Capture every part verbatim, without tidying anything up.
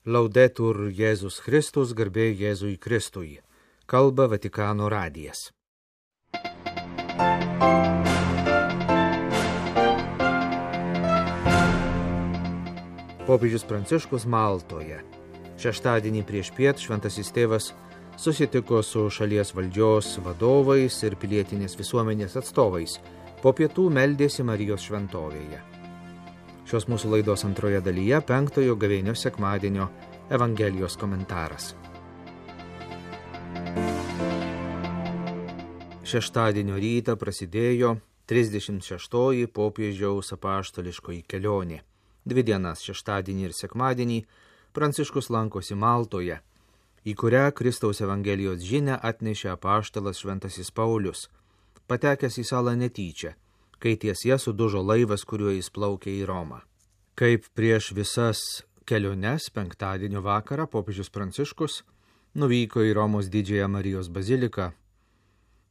Laudetur Jėzus Kristus, garbė Jėzui Kristui. Kalba Vatikano radijas. Popiežius Pranciškus Maltoje. Šeštadienį prieš piet šventasis tėvas susitiko su šalies valdžios vadovais ir pilietinės visuomenės atstovais. Po pietų meldėsi Marijos šventovėje. Šios mūsų laidos antroje dalyje penktojo gavėnios sekmadienio Evangelijos komentaras. Šeštadienio rytą prasidėjo trisdešimt šeštoji popiežiaus apaštališkoji kelionė. Dvi dienas šeštadienį ir sekmadienį Pranciškus lankosi Maltoje, į kurią Kristaus Evangelijos žinią atnešė apaštalas šventasis Paulius, patekęs į salą netyčia, kai ties ja sudužo laivas, kuriuo jis plaukė į Romą. Kaip prieš visas keliones penktadienio vakarą popiežius Pranciškus nuvyko į Romos didžiąją Marijos baziliką.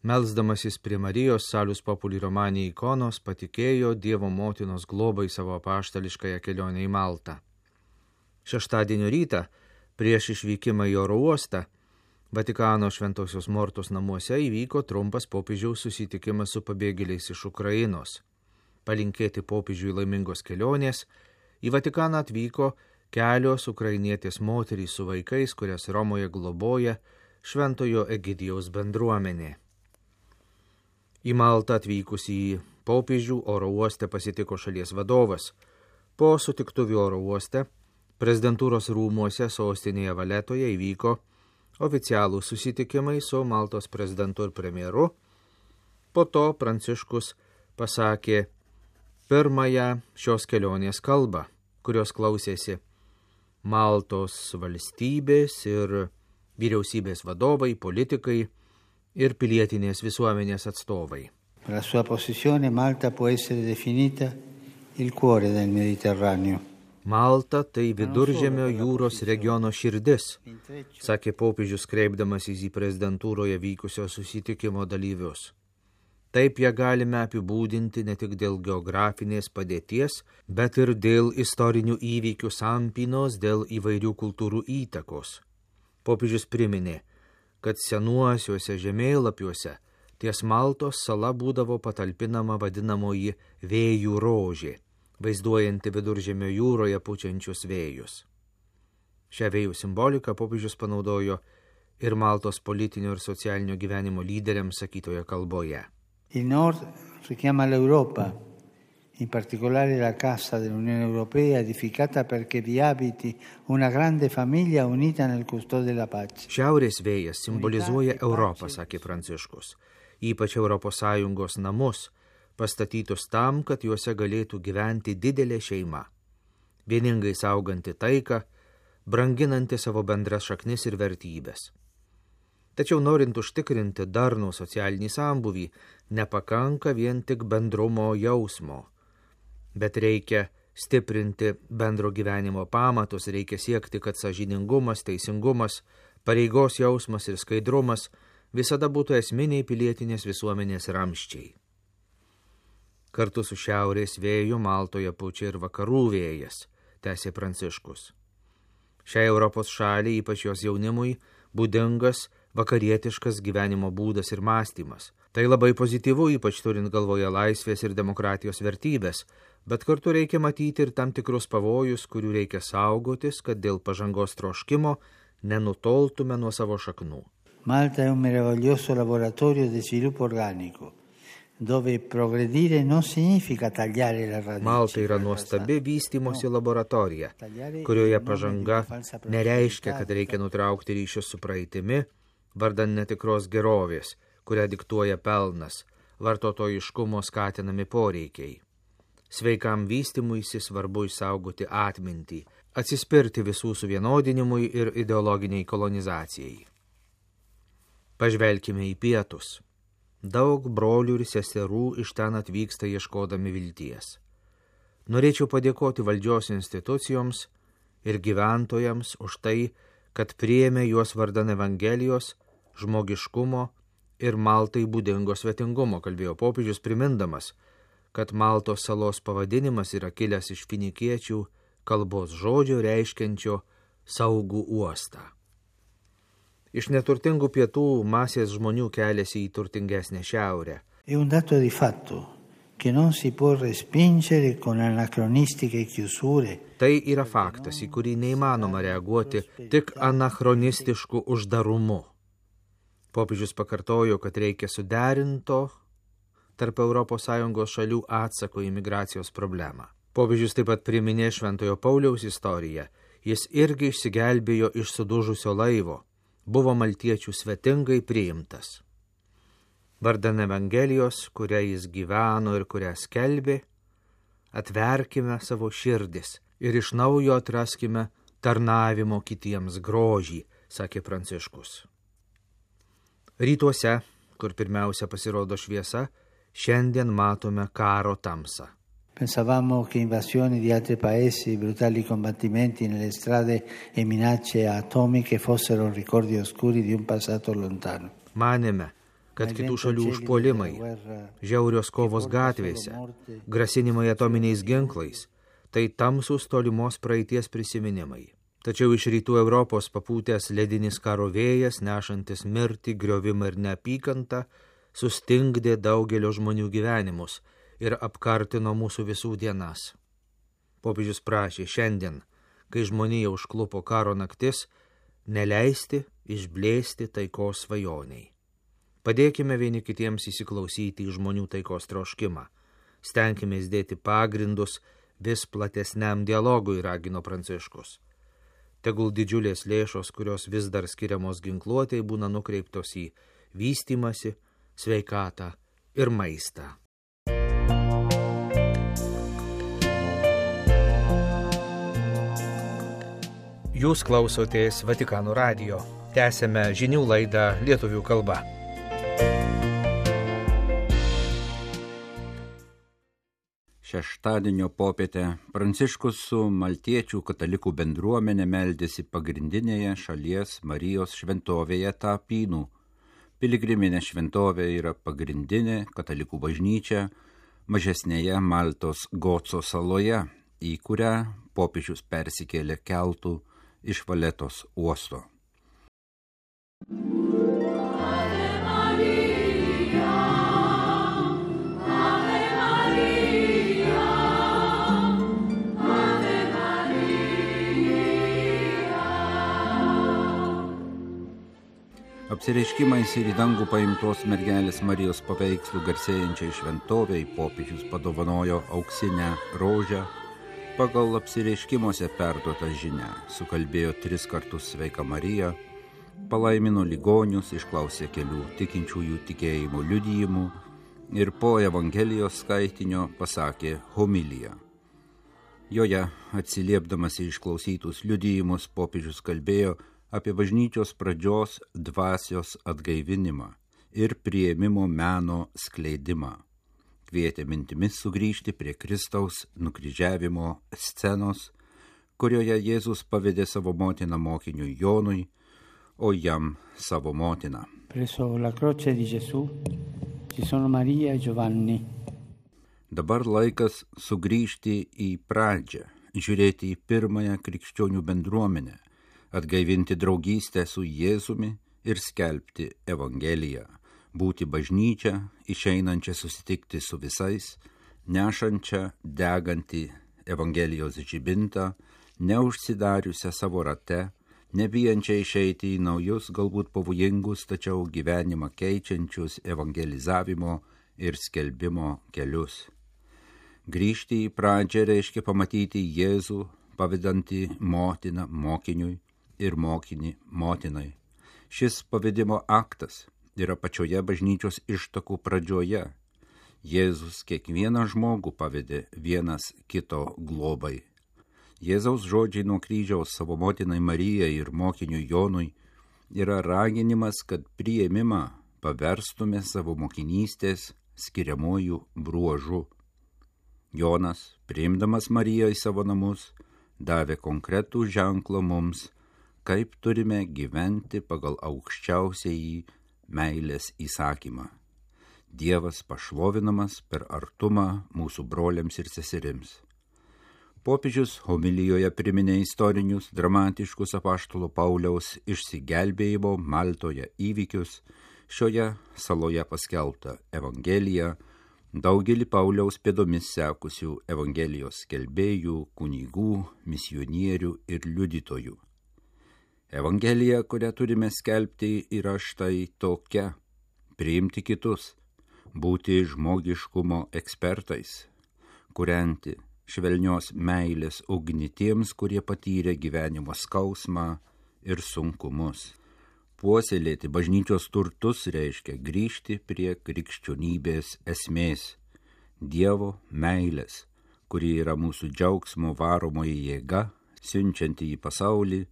Melsdamasis prie Marijos Salus Populi Romani ikonos patikėjo Dievo motinos globai savo apaštališkąją kelionę į Maltą. Šeštadienio rytą, prieš išvykimą į oro uostą, Vatikano Šventosios Mortos namuose įvyko trumpas popiežiaus susitikimas su pabėgėliais iš Ukrainos. Palinkėti popiežiui laimingos kelionės, į Vatikaną atvyko kelios ukrainietės moterys su vaikais, kurias Romoje globoja Šventojo Egidijaus bendruomenė. Į Maltą atvykusį popiežių oro uoste pasitiko šalies vadovas. Po sutiktuvių oro uoste prezidentūros rūmuose sostinėje Valetoje įvyko oficialų susitikimai su Maltos prezidentu ir premjeru. Po to Pranciškus pasakė pirmąją šios kelionės kalbą, kurios klausėsi Maltos valstybės ir vyriausybės vadovai, politikai ir pilietinės visuomenės atstovai. Per la sua posizione Malta può essere definita il cuore del Mediterraneo. Malta tai Viduržemio jūros regiono širdis, sakė popiežius kreipdamasis į prezidentūroje vykusio susitikimo dalyvius. Taip ją galime apibūdinti ne tik dėl geografinės padėties, bet ir dėl istorinių įvykių sampynos, dėl įvairių kultūrų įtakos. Popiežius priminė, kad senuosiuose žemėlapiuose ties Maltos sala būdavo patalpinama vadinamoji vėjų rožė, vaizduojanti Viduržemio jūroje pučiančius vėjus. Šią vėjų simboliką popiežius panaudojo ir Maltos politinio ir socialinio gyvenimo lyderiams sakytoje kalboje. Il Nord richiama l'Europa, in particolare la Casa dell'Unione Europea edificata perché vi abiti una grande famiglia unita nel custode della pace. Šiaurės vėjas simbolizuoja Europą, sakė Pranciškus, ypač Europos Sąjungos namus, pastatytus tam, kad juose galėtų gyventi didelė šeima, vieningai sauganti taiką, branginanti savo bendras šaknis ir vertybės. Tačiau norint užtikrinti darnų socialinį sambūvį, nepakanka vien tik bendrumo jausmo, bet reikia stiprinti bendro gyvenimo pamatus, reikia siekti, kad sąžiningumas, teisingumas, pareigos jausmas ir skaidrumas visada būtų esminiai pilietinės visuomenės ramsčiai. Kartu su šiaurės vėju Maltoje pučia ir vakarų vėjas, tęsė Pranciškus. Šiai Europos šaliai, ypač jos jaunimui, būdingas vakarietiškas gyvenimo būdas ir mąstymas. Tai labai pozityvu, ypač turint galvoje laisvės ir demokratijos vertybės, bet kartu reikia matyti ir tam tikrus pavojus, kurių reikia saugotis, kad dėl pažangos troškimo nenutoltume nuo savo šaknų. Malta è un meraviglioso laboratorio di sviluppo organico, dove progredire non significa tagliare la radice. Malta yra nuostabi vystymosi laboratorija, kurioje pažanga nereiškia, kad reikia nutraukti ryšius su praeitimi, vardan netikros gerovės, kurią diktuoja pelnas, vartotojiškumo skatinami poreikiai. Sveikam vystymuisi svarbu išsaugoti atmintį, atsispirti visų suvienodinimui ir ideologiniai kolonizacijai. Pažvelkime į pietus. Daug brolių ir seserų iš ten atvyksta ieškodami vilties. Norėčiau padėkoti valdžios institucijoms ir gyventojams už tai, kad priėmė juos vardan Evangelijos, žmogiškumo ir Maltai būdingo svetingumo, kalbėjo popiežius primindamas, kad Maltos salos pavadinimas yra kilęs iš finikiečių kalbos žodžio reiškiančio saugų uostą. Iš neturtingų pietų masės žmonių keliasi į turtingesnę šiaurę. È un dato di fatto che non si può respingere con anacronistiche chiusure. Tai yra faktas, į kurį neįmanoma reaguoti tik anachronistišku uždarumu. Popiežius pakartojo, kad reikia suderinto tarp Europos Sąjungos šalių atsako į migracijos problemą. Popiežius taip pat priminė Šventojo Pauliaus istoriją. Jis irgi išsigelbėjo iš sudužusio laivo, buvo maltiečių svetingai priimtas. Vardan Evangelijos, kuria jis gyveno ir kurią skelbė, atverkime savo širdis ir iš naujo atraskime tarnavimo kitiems grožį, sakė Pranciškus. Rytuose, kur pirmiausia pasirodo šviesa, šiandien matome karo tamsą. Pensavamo che invasioni di altri paesi, brutali combattimenti nelle strade e minacce atomiche fossero ricordi oscuri di un passato lontano. Manėme, kad kitų šalių užpuolimai, žiaurios kovos gatvėse, grasinimai atominiais ginklais, tai tamsūs tolimos praeities prisiminimai. Tačiau iš rytų Europos papūtęs ledinis karo vėjas, nešantis mirtį, griovimą ir neapykantą, sustingdė daugelio žmonių gyvenimus ir apkartino mūsų visų dienas. Popiežius prašė šiandien, kai žmonija užklupo karo naktis, neleisti išblėsti taikos svajoniai. Padėkime vieni kitiems įsiklausyti į žmonių taikos troškimą. Stenkimės dėti pagrindus vis platesniam dialogui, ragino Pranciškus. Tegul didžiulės lėšos, kurios vis dar skiriamos ginkluotei, būna nukreiptos į vystymasi, sveikatą ir maistą. Jūs klausotės Vatikano radijo. Tęsėme žinių laidą lietuvių kalba. Šeštadienio popietę Pranciškus su maltiečių katalikų bendruomenė meldėsi pagrindinėje šalies Marijos šventovėje Tapynų. Piligriminė šventovė yra pagrindinė katalikų bažnyčia mažesnėje Maltos Goco saloje, į kurią popiežius persikėlė keltu iš Valetos uosto. Apsireiškimais ir į dangų paimtos mergelės Marijos paveikslų garsėjančiai šventovei popiežius padovanojo auksinę rožę pagal apsireiškimuose perduotą žinią, sukalbėjo tris kartus Sveika Marija, palaimino ligonius, išklausė kelių tikinčiųjų tikėjimo liudijimų ir po Evangelijos skaitinio pasakė homiliją. Joje, atsiliepdamas į išklausytus liudijimus, popiežius kalbėjo apie bažnyčios pradžios dvasios atgaivinimą ir priėmimo meno skleidimą. Kvietė mintimis sugrįžti prie Kristaus nukryžiavimo scenos, kurioje Jėzus pavedė savo motiną mokiniui Jonui, o jam savo motiną. Presso la croce di Gesù ci sono Maria e Giovanni. Dabar laikas sugrįžti į pradžią, žiūrėti į pirmąją krikščionių bendruomenę, atgaivinti draugystę su Jėzumi ir skelbti Evangeliją, būti bažnyčia, išeinančia susitikti su visais, nešančia degantį Evangelijos žibintą, neužsidariusią savo rate, nebijančia išeiti į naujus, galbūt pavojingus, tačiau gyvenimą keičiančius evangelizavimo ir skelbimo kelius. Grįžti į pradžią reiškia pamatyti Jėzų, pavedantį motiną mokiniui ir mokinį motinai. Šis pavedimo aktas yra pačioje bažnyčios ištakų pradžioje. Jėzus kiekvieną žmogų pavedė vienas kito globai. Jėzaus žodžiai nuo kryžiaus savo motinai Marijai ir mokiniui Jonui yra raginimas, kad priėmimą paverstume savo mokinystės skiriamųjų bruožų. Jonas, priimdamas Mariją į savo namus, davė konkretų ženklą mums, kaip turime gyventi pagal aukščiausiąjį meilės įsakymą. Dievas pašlovinamas per artumą mūsų broliams ir seserims. Popiežius homilijoje priminė istorinius, dramatiškus apaštalo Pauliaus išsigelbėjimo Maltoje įvykius, šioje saloje paskelbtą Evangeliją, daugelį Pauliaus pėdomis sekusių Evangelijos skelbėjų, kunigų, misionierių ir liudytojų. Evangelija, kurią turime skelbti, yra štai tokia: priimti kitus, būti žmogiškumo ekspertais, kurianti švelnios meilės ugnį tiems, kurie patyrė gyvenimo skausmą ir sunkumus. Puoselėti bažnyčios turtus reiškia grįžti prie krikščionybės esmės – Dievo meilės, kuri yra mūsų džiaugsmo varomoji jėga, siunčianti į pasaulį,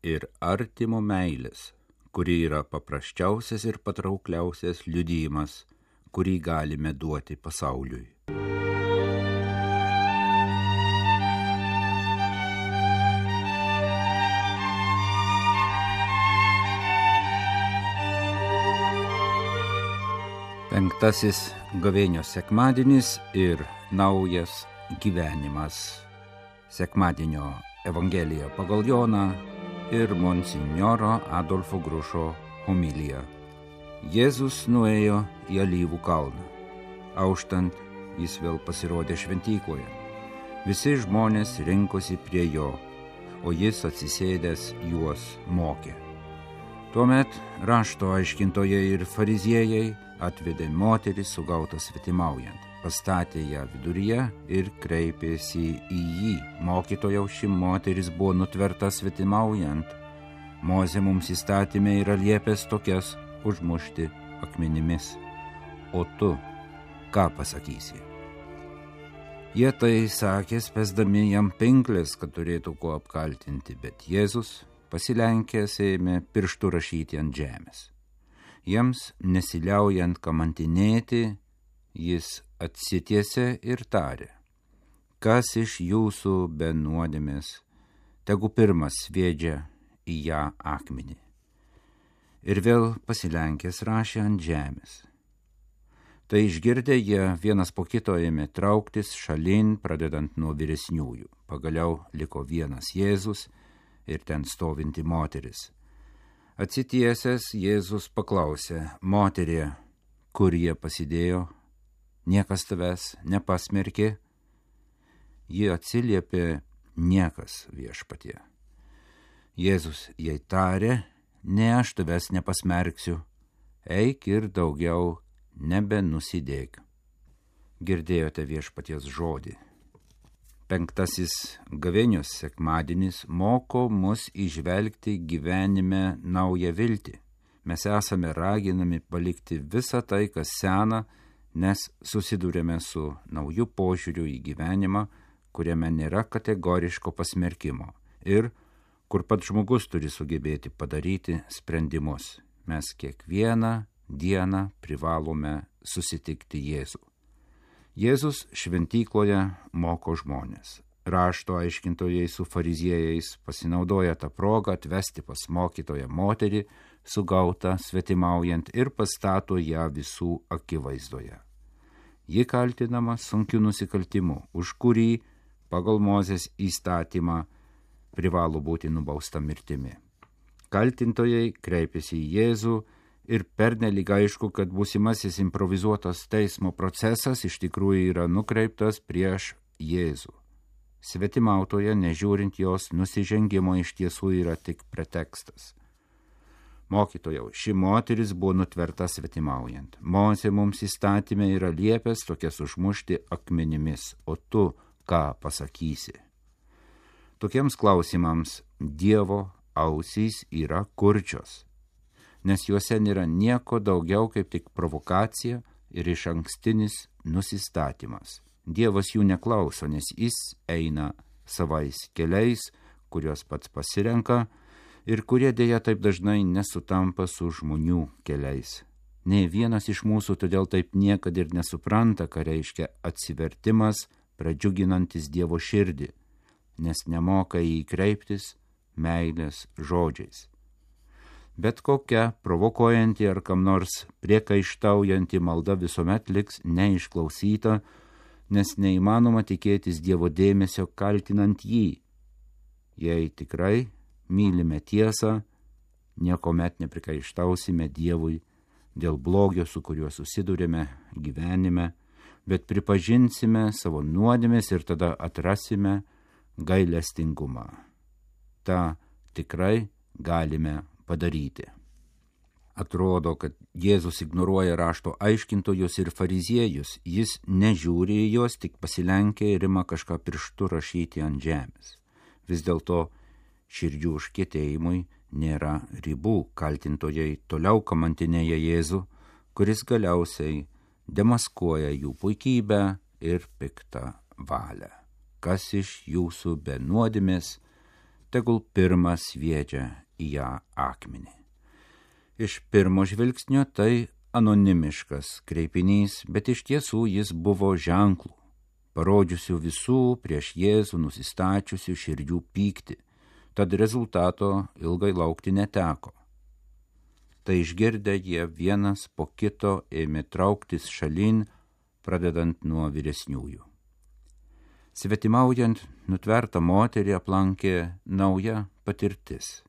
ir artimo meilės, kuri yra paprasčiausias ir patraukliausias liudijimas, kurį galime duoti pasauliui. Penktasis gavėnios sekmadienis ir naujas gyvenimas. Sekmadienio Evangelija pagal Joną ir monsinjoro Adolfo Grušo homilija. Jėzus nuėjo į Alyvų kalną. Auštant, jis vėl pasirodė šventykloje. Visi žmonės rinkosi prie jo, o jis atsisėdęs juos mokė. Tuomet rašto aiškintojai ir fariziejai atvedė moterį sugautą svetimaujant, pastatė ją viduryje ir kreipėsi į jį. Mokytojau, ši moteris buvo nutverta svetimaujant. Mozė mums įstatymė yra liepęs tokias užmušti akmenimis. O tu ką pasakysi? Jie tai sakė, spęsdami jam pinklės, kad turėtų kuo apkaltinti, bet Jėzus pasilenkęs ėmė pirštu rašyti ant žemės. Jiems nesiliaujant kamantinėti, jis atsitiesė ir tarė: kas iš jūsų be nuodėmės, tegu pirmas sviedžia į ją akmenį. Ir vėl pasilenkęs rašė ant žemės. Tai išgirdę jie vienas po kito ėmė trauktis šalin, pradedant nuo vyresniųjų. Pagaliau liko vienas Jėzus ir ten stovinti moteris. Atsitiesęs Jėzus paklausė: moterie, kur jie pasidėjo? Niekas tavęs nepasmerkė? Ji atsiliepė: niekas, viešpatie. Jėzus jai tarė: ne, aš tavęs nepasmerksiu, eik ir daugiau nebenusidėk. Girdėjote viešpaties žodį. Penktasis gavėnios sekmadienis moko mus įžvelgti gyvenime naują viltį. Mes esame raginami palikti visą tai, kas sena, nes susidūrėme su nauju požiūriu į gyvenimą, kuriame nėra kategoriško pasmerkimo ir kur pats žmogus turi sugebėti padaryti sprendimus. Mes kiekvieną dieną privalome susitikti Jėzų. Jėzus šventykloje moko žmonės. Rašto aiškintojai su fariziejais pasinaudoja tą progą atvesti pas mokytoją moterį, sugautą svetimaujant, ir pastato ją visų akivaizdoje. Ji kaltinama sunkiu nusikaltimu, už kurį pagal Mozės įstatymą privalo būti nubausta mirtimi. Kaltintojai kreipiasi į Jėzų ir pernelyg aišku, kad būsimasis improvizuotas teismo procesas iš tikrųjų yra nukreiptas prieš Jėzų. Svetimautoje, nežiūrint jos nusižengimo, iš tiesų yra tik pretekstas. Mokytojau, ši moteris buvo nutverta svetimaujant. Mozė mums įstatymė yra liepęs tokias užmušti akmenimis, o tu ką pasakysi? Tokiems klausimams Dievo ausys yra kurčios, nes juose nėra nieko daugiau kaip tik provokacija ir iš ankstinis nusistatymas. Dievas jų neklauso, nes jis eina savais keliais, kuriuos pats pasirenka ir kurie dėja taip dažnai nesutampa su žmonių keliais. Nei vienas iš mūsų todėl taip niekad ir nesupranta, ką reiškia atsivertimas, pradžiuginantis Dievo širdį, nes nemoka į jį kreiptis meilės žodžiais. Bet kokia provokuojanti ar kam nors priekaištaujanti malda visuomet liks neišklausyta, nes neįmanoma tikėtis Dievo dėmesio kaltinant jį. Jei tikrai mylime tiesą, niekuomet neprikaištausime Dievui dėl blogio, su kuriuo susidurėme gyvenime, bet pripažinsime savo nuodėmes ir tada atrasime gailestingumą. Ta tikrai galime padaryti. Atrodo, kad Jėzus ignoruoja rašto aiškintojus ir fariziejus. Jis nežiūri į juos, tik pasilenkia ir ima kažką pirštu rašyti ant žemės. Vis dėlto širdžių užkietėjimui nėra ribų. Kaltintojai toliau kamantinėja Jėzų, kuris galiausiai demaskuoja jų puikybę ir piktą valią. Kas iš jūsų be nuodėmės, tegul pirmas sviedžia į ją akmenį. Iš pirmo žvilgsnio tai anonimiškas kreipinys, bet iš tiesų jis buvo ženklų, parodžiusių visų prieš Jėzų nusistačiusių širdžių pyktį, tad rezultato ilgai laukti neteko. Tai išgirdę jie vienas po kito ėmė trauktis šalin, pradedant nuo vyresniųjų. Svetimaujant nutvertą moterį aplankė nauja patirtis.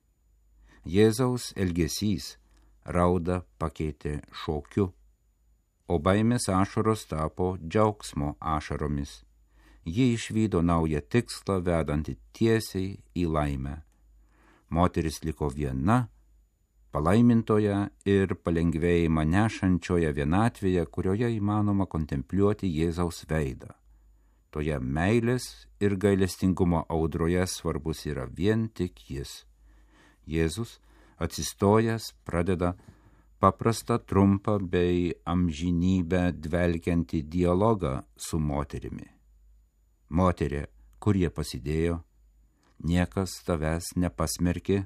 Jėzaus elgesys raudą pakeitė šokiu, o baimės ašaros tapo džiaugsmo ašaromis. Ji išvydo naują tikslą, vedantį tiesiai į laimę. Moteris liko viena, palaimintoje ir palengvėjimą nešančioje vienatvėje, kurioje įmanoma kontempliuoti Jėzaus veidą. Toje meilės ir gailestingumo audroje svarbus yra vien tik jis. Jėzus atsistojęs pradeda paprastą, trumpą bei amžinybę dvelkiantį dialogą su moterimi. Moterė, kur jie pasidėjo, niekas tavęs nepasmerkė.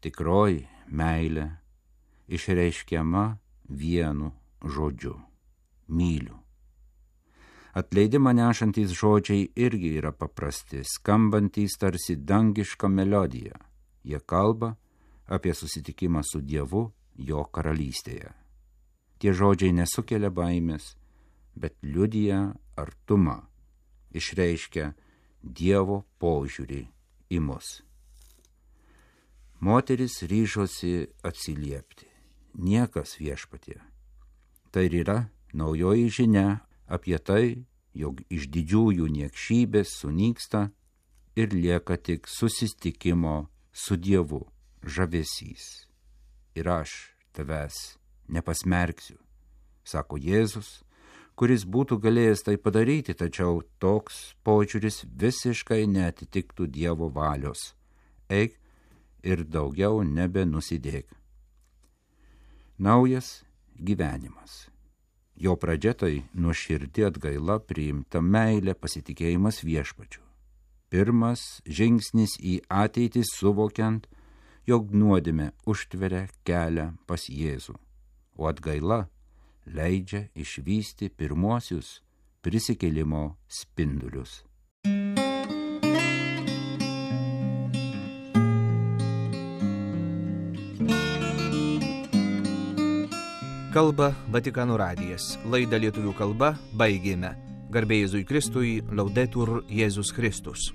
Tikroji meilė išreiškiama vienu žodžiu – myliu. Atleidimą nešantys žodžiai irgi yra paprasti, skambantys tarsi dangiška melodija. Jie kalba apie susitikimą su Dievu jo karalystėje. Tie žodžiai nesukelia baimės, bet liudija artumą, išreiškia Dievo požiūrį į mus. Moteris ryžosi atsiliepti. Niekas viešpatie. Tai yra naujoji žinia apie tai, jog iš didžiųjų niekšybės sunyksta ir lieka tik susitikimo su Dievu žavesys. Ir aš tavęs nepasmerksiu, sako Jėzus, kuris būtų galėjęs tai padaryti, tačiau toks požiūris visiškai neatitiktų Dievo valios. Eik ir daugiau nebenusidėk. Naujas gyvenimas. Jo pradžia tai nuoširdi atgaila, priimta meilė, pasitikėjimas viešpačiu. Pirmas žingsnis į ateitį suvokiant, jog nuodėmė užtveria kelią pas Jėzų, o atgaila leidžia išvysti pirmuosius prisikėlimo spindulius. Kalba Vatikano radijas. Laidą lietuvių kalba baigėme. Garbė Jėzui Kristui, Laudetur Jėzus Kristus.